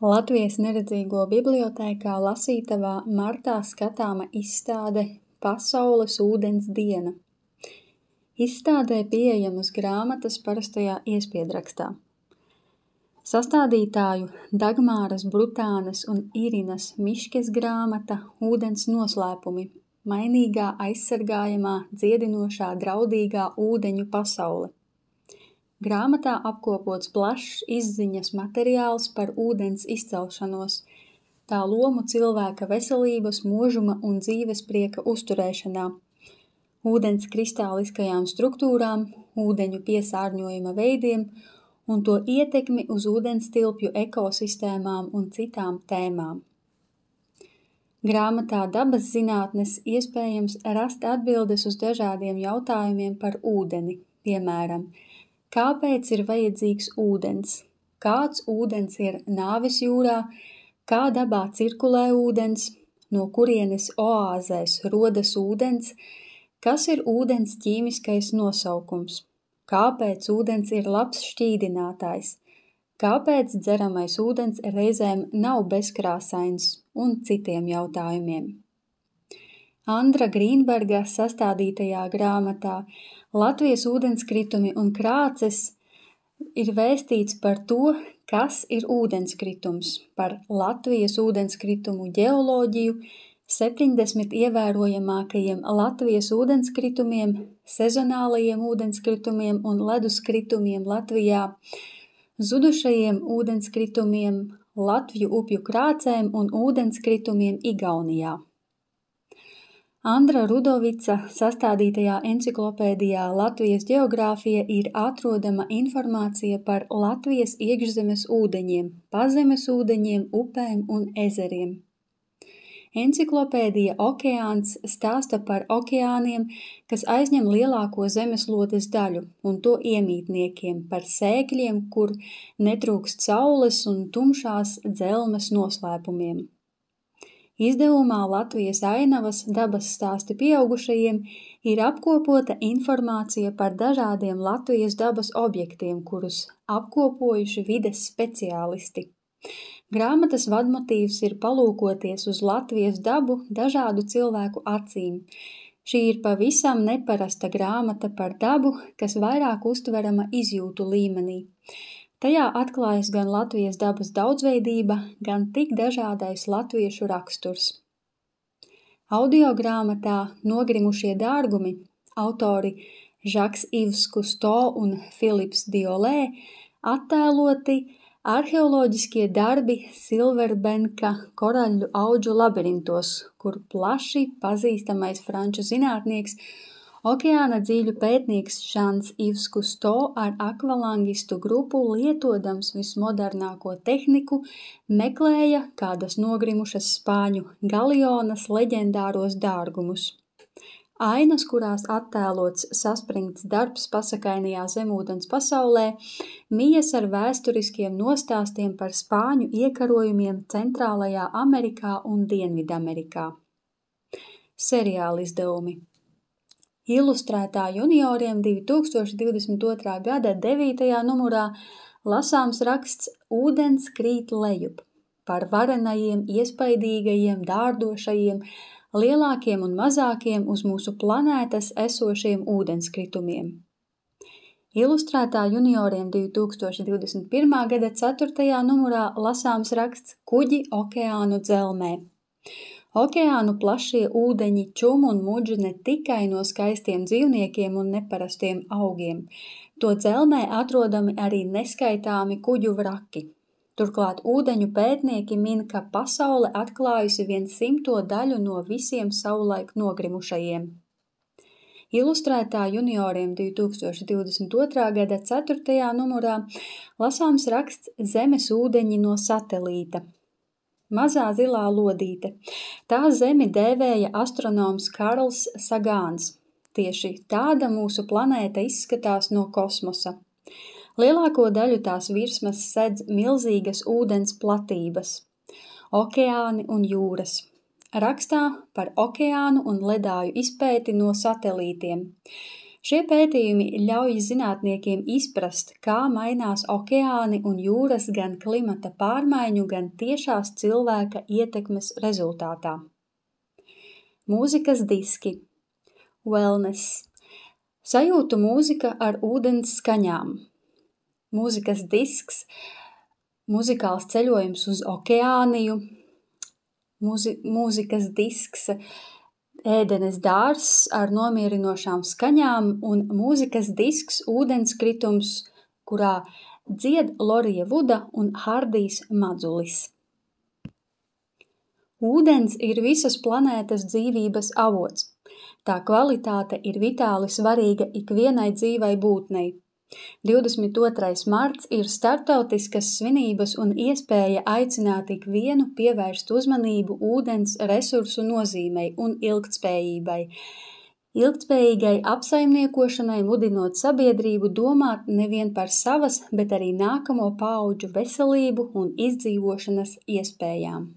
Latvijas neredzīgo bibliotēkā lasītavā martā skatāma izstāde Pasaules ūdens diena. Izstādē pieejamas grāmatas parastajā iespiedrakstā. Sastādītāju Dagmāras Brutānes un Irinas Miškes grāmata Ūdens noslēpumi – mainīgā, aizsargājamā, dziedinošā, draudīgā ūdeņu pasaule. Grāmatā apkopots plašs izziņas materiāls par ūdens izcelšanos, tā lomu cilvēka veselības, mūžuma un dzīvesprieka uzturēšanā, ūdens kristāliskajām struktūrām, ūdeņu piesārņojuma veidiem un to ietekmi uz ūdenstilpju ekosistēmām un citām tēmām. Grāmatā Dabas zinātnes iespējams rast atbildes uz dažādiem jautājumiem par ūdeni, piemēram, kāpēc ir vajadzīgs ūdens, kāds ūdens ir nāves jūrā, kā dabā cirkulē ūdens, no kurienes oāzēs rodas ūdens, kas ir ūdens ķīmiskais nosaukums, kāpēc ūdens ir labs šķīdinātājs, kāpēc dzeramais ūdens reizēm nav bezkrāsains un citiem jautājumiem. Andra Grīnberga sastādītajā grāmatā Latvijas ūdenskritumi un krāces ir vēstīts par to, kas ir ūdenskritums, par Latvijas ūdenskritumu ģeoloģiju, 70 ievērojamākajiem Latvijas ūdenskritumiem, sezonālajiem ūdenskritumiem un leduskritumiem Latvijā, zudušajiem ūdenskritumiem, Latvju upju krācēm un ūdenskritumiem Igaunijā. Andra Rudovica sastādītajā enciklopēdijā Latvijas ģeogrāfija ir atrodama informācija par Latvijas iekšzemes ūdeņiem, pazemes ūdeņiem, upēm un ezeriem. Enciklopēdija Okeāns stāsta par okeāniem, kas aizņem lielāko zemeslodes daļu un to iemītniekiem, par sēkļiem, kur netrūkst saules un tumšās dzelmes noslēpumiem. Izdevumā Latvijas ainavas dabas stāsti pieaugušajiem ir apkopota informācija par dažādiem Latvijas dabas objektiem, kurus apkopojuši vides speciālisti. Grāmatas vadmotīvs ir palūkoties uz Latvijas dabu dažādu cilvēku acīm. Šī ir pavisam neparasta grāmata par dabu, kas vairāk uztverama izjūtu līmenī. Tajā atklājas gan Latvijas dabas daudzveidība, gan tik dažādais latviešu raksturs. Audiogrāmatā Nogrimušie dārgumi autori Žaks Ivs Kusto un Filips Diolē attēloti arheoloģiskie darbi Silverbenka koraļu audžu labirintos, kur plaši pazīstamais franču zinātnieks Okeāna dzīļu pētnieks Žans Ivs Kusto ar akvalangistu grupu lietodams vismodernāko tehniku meklēja kādas nogrimušas spāņu galionas leģendāros dārgumus. Ainas, kurās attēlots saspringts darbs pasakainajā zemūdens pasaulē, mijas ar vēsturiskiem nostāstiem par spāņu iekarojumiem Centrālajā Amerikā un Dienvidamerikā. Seriāla izdevumi. Ilustrētā junioriem 2022. gada 9. numurā lasāms raksts Ūdens krīt lejup par varenajiem, iespaidīgajiem, dārdošajiem, lielākiem un mazākiem uz mūsu planētas esošiem ūdenskritumiem. Ilustrētā junioriem 2021. gada 4. numurā lasāms raksts Kuģi okeānu dzelmē. Okeānu plašie ūdeņi čum un mudž ne tikai no skaistiem dzīvniekiem un neparastiem augiem. To dzelmē atrodami arī neskaitāmi kuģu vraki. Turklāt ūdeņu pētnieki min, ka pasaule atklājusi 100. daļu no visiem savulaik nogrimušajiem. Ilustrētā junioriem 2022. gada 4. numurā lasāms raksts Zemes ūdeņi no satelīta. Mazā zilā lodīte. Tā Zemi dēvēja astronoms Karls Sagāns. Tieši tāda mūsu planēta izskatās no kosmosa. Lielāko daļu tās virsmas sedz milzīgas ūdens platības, okeāni un jūras. Rakstā par okeānu un ledāju izpēti no satelītiem. Šie pētījumi ļauj zinātniekiem izprast, kā mainās okeāni un jūras gan klimata pārmaiņu, gan tiešās cilvēka ietekmes rezultātā. Mūzikas diski. Wellness. Sajūtu mūzika ar ūdens skaņām. Mūzikas disks, muzikāls ceļojums uz okeāniju, mūzikas disks, ēdenes dārzs ar nomierinošām skaņām un mūzikas disks ūdenskritums, kurā dzied Lorija Vuda un Hardijs Madzulis. Ūdens ir visas planētas dzīvības avots. Tā kvalitāte ir vitāli svarīga ikvienai dzīvai būtnei. 22. marts ir starptautiskas svinības un iespēja aicināt ikvienu pievērst uzmanību ūdens resursu nozīmei un ilgtspējībai. Ilgtspējīgai apsaimniekošanai mudinot sabiedrību domāt nevien par savas, bet arī nākamo paudžu veselību un izdzīvošanas iespējām.